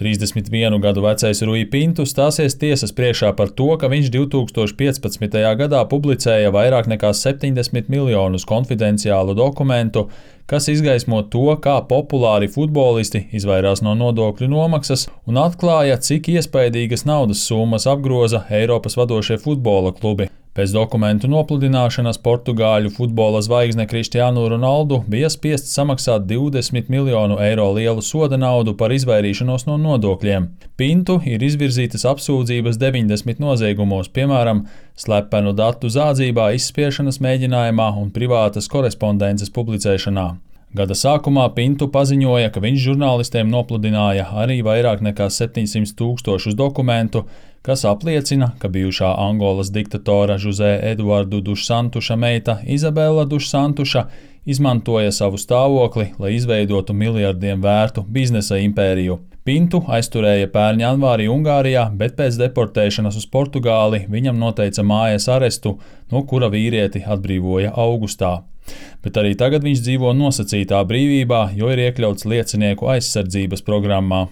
31 gadu vecais Rui Pintu stāsies tiesas priekšā par to, ka viņš 2015. gadā publicēja vairāk nekā 70 miljonus konfidenciālu dokumentu, kas izgaismo to, kā populāri futbolisti izvairās no nodokļu nomaksas un atklāja, cik iespaidīgas naudas summas apgroza Eiropas vadošie futbola klubi. Pēc dokumentu nopludināšanas Portugāļu futbola zvaigzne Cristiano Ronaldo bija spiests samaksāt 20 miljonu eiro lielu soda naudu par izvairīšanos no nodokļiem. Pintu ir izvirzītas apsūdzības 90 noziegumos, piemēram, slepenu datu zādzībā, izspiešanas mēģinājumā un privātas korespondences publicēšanā. Gada sākumā Pintu paziņoja, ka viņš žurnālistiem nopludināja arī vairāk nekā 700 000 dokumentu, kas apliecina, ka bijušā Angolas diktatora José Eduardo dos Santuša meita Izabela dos Santuša izmantoja savu stāvokli, lai izveidotu miljardiem vērtu biznesa impēriju. Pintu aizturēja pērn janvārī Ungārijā, bet pēc deportēšanas uz Portugāli viņam noteica mājas arestu, no kura vīrieti atbrīvoja augustā. Bet arī tagad viņš dzīvo nosacītā brīvībā, jo ir iekļauts liecinieku aizsardzības programmā.